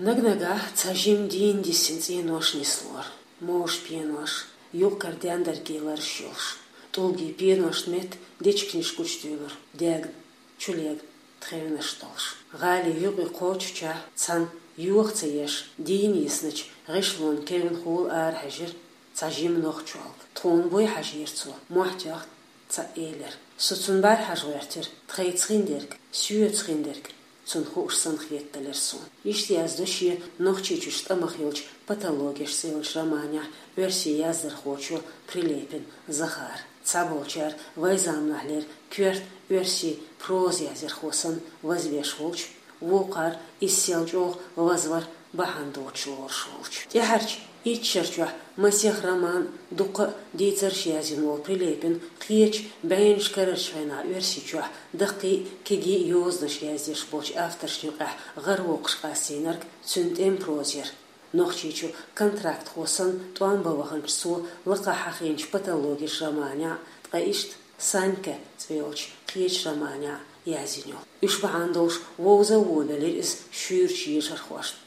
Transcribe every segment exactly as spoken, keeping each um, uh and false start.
Наг-нагахь цхьа жима дийна диссина цӀенош нислора, мовш пенош, юкъ-кара дендаргий лараш йолуш, тӀулгий пеношна метта дечигнаш гучудуьйлура, дегна, чулегна тхевнаш долуш. ГӀали юкъе кхочучехь цхьана йоха ца еш, дийна йисначу гӀишлонан кевнна хӀула арахьежира цхьа жима нохчолга. Тхуна буй хьажийра цо, мохь тоьхна цхьаъ элира. Со цунна бӀаьрахьажа гӀоьртира, тхайца хиндерг, соьца хиндерг цунна хууш санна хетадалира суна. Иштта яздо шен Нохчийчуьрчу тӀамах йолчу «Патологеш» цӀе йолчу романехь оьрсийн яздархочо Прилепин Захара. Цхьаболчара вайн заманахьлера коьрта оьрсийн проза яздархо санна вазвеш волчу, вукхара иза сел чӀогӀа вазвар бахьана доцуш лоруш волчу. ТӀаьхьарчу итт шарчохь масех роман, дуккха а дийцарш язйина волу Прилепин кхечу бӀеннаш карарчу хенахь Оьрсийчохь даккхий а, кегий а йозанаш яздеш болчу авторшна юкъахь гӀаравоккхуш къастийнарг цуьнан тӀеман проза яра. Нохчийчу контрактхо санна тӀом бан ваханчу цо лакхахь хьахийначу «Патологеш» романехь, ткъа иштта «Санька» цӀе йолчу кхечу романехь язйина йолу. Уьш бахьана долуш вовза а вовлийтира иза шуьйрачу ешархошна.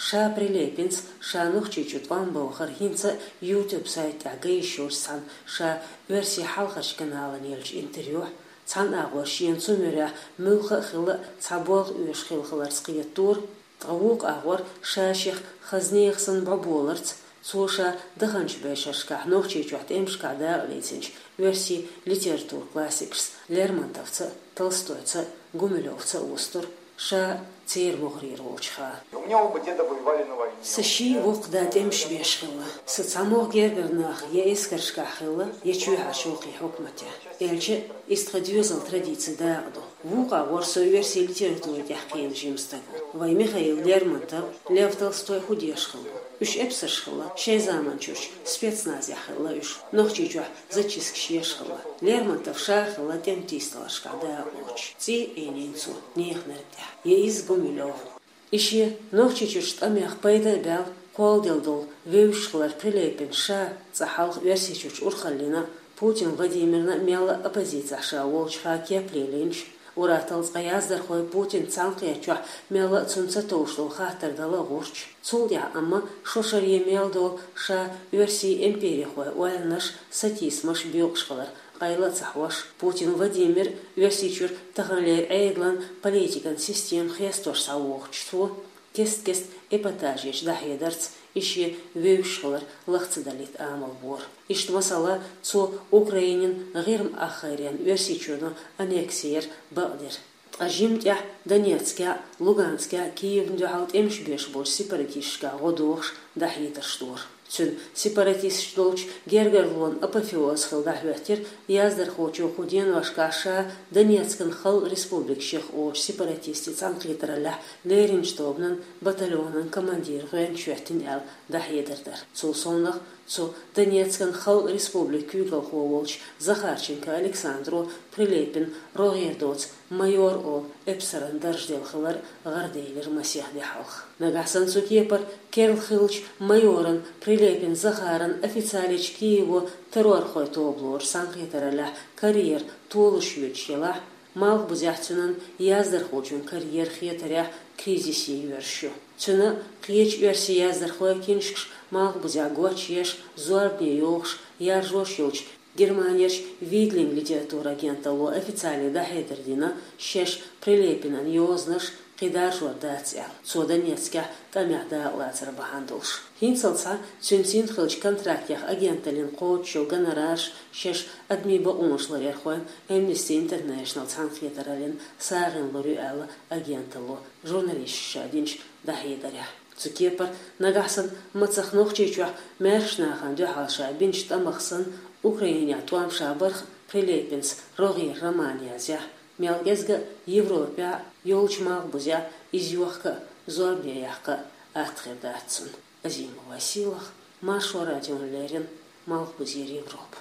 Ша Прилепинца ша Нохчийчу тӀом бан вахар хӀинца а YouTube сайта тӀехь ган йиш йолчу цхьана ша оьрсийн хьалхарчу каналана еллачу интервьюхь, цхьана агӀор шена цу муьрехь муьлхха а хилла а цхьа болх оьшуш хилла хиларца кхетадора, ткъа вукху агӀор ша шех хаза нехан санна бӀоболарца, цо ша даханчу бӀешерашкахь Нохчийчохь тӀемашкахь дакъалецначу оьрсийн литературан классикашца Лермонтовца а, Толстойца а, Гумилёвца а вустура, ша церан могӀарера волчу хенахь. У меня оба деда воевали на войне. Сан ший воккха да тӀемаш беш хилла. Сан цхьа могӀа гергара нах я эскаршкахь хилла, я чоьхьарчу гӀуллакхийн хьукматехь. Аьлча, иза тхан доьзалан традицин дакъа ду. Вукху агӀор со оьрсийн литература тӀехь кхиъна жима стаг ву. Вайн Михаил Лермонтов, Лев Толстой хӀун деш хилла? Уьш эпсарш хилла, шайн заманчуьрчу спецназехь хилла уьш, Нохчийчохь зачисткаш еш хилла. Лермонтов ша хилла тӀеман тийсадаларшкахь дакъалоцуш. ЦӀий а Ӏийнийна цо неханарг тӀехь. Я иза Гумилёв. И шен Нохчийчуьрчу тӀамех пайда а баьлла, кхолладелла долу вевзаш хилар Прилепин ша цкъа хьалха Оьрсийчуьрчу урхаллина, Путин Владимирна мелла а оппозицехь ша волчу хенахь кеп лелийначу, ур-атталла цкъа яздархой Путин цхьаьнакхетачохь мелла а цунна ца товш долу хаттар дала а гӀурташ. Цул тӀаьхьа амма шо шаре мел долу ша оьрсийн империхойн ойланаш, сатийсамаш боькъуш хилар къайла а ца хьош, Путин Владимир Оьрсийчуьра таханлера Ӏедалан политикан система хестош схьавогӀучу цо, кест-кеста эпатажечу дӀахьедарца и шен вевзаш хилар лаха ца далийта амал бора. Иштта, масала, цо Украинин ГӀирма ахгӀайренна Оьрсийчоьно аннекси яр бакъдира. Ткъа жимма тӀехь Донецкехь, Луганскехь, Киевна дуьхьал тӀемаш беш болчу сепаратисташкахь гӀо дохуш дӀахьедарш дора. Цуьнан сепаратисташ долчу гергарлонан апофеоз хилла дӀахӀоьттира яздархочо кху деношкахь ша Донецкан Халкъан Республика шех олучу сепаратистийн цхьаьнакхетараллехь леринчу тобанан батальонан командир гӀоьнча хӀоьттина аьлла дӀахьедар дар. Цул совнаха цу Донецкан Халкъан Республикан куьйгалхо волчу Захарченко Александро Прилепин рогӀера доцу майор олу эпсаран дарж делла хилар гӀараделира масех де хьалха. Нагахь санна цу кепара керла хиллачу майоран Прилепин Захаран официалечу Киево террорхойн тоба лоручу цхьаьнакхетараллехь карьера толуш йоьдуш елахь, Малхбузехь цуьнан яздархочун карьера хетарехь кризисе йоьрзуш ю. Цуьнан а, кхечу оьрсийн яздархойн а киншкаш Малхбузехь гочъеш, зорбане йохуш, яржош йолчу Германерчу Видлинг литературан агенталло официале дӀахьедар дина, шаьш Прилепинан йозанаш кхин даржор дац аьлла, цо Донецкехь тӀамехь дакъалацар бахьана долуш. ХӀинццалц цуьнан цӀийнан хиллачу контрактех агенталлина кхочуш йолу гонорарш шаьш адамийн бакъонаш ларъярхойн Amnesty International цхьаьнакхетараллин сагӀина лур ю аьлла агенталло журналисташка ша динчу дӀахьедарехь. Цу кепара нагахь санна мацах Нохчийчохь маьршачу нахана дуьхьал ша бинчу тӀамах санна, Украинехь тӀом ша барх Прилепинца рогӀера роман язъяхь, мел кӀезга а Европехь а, йолчу Малхбузехь а иза йохка а, зорбане яккха а атта хир дац цунна. Азимова Сийлаха, Маршо радиона леррина, Малхбузера Европа.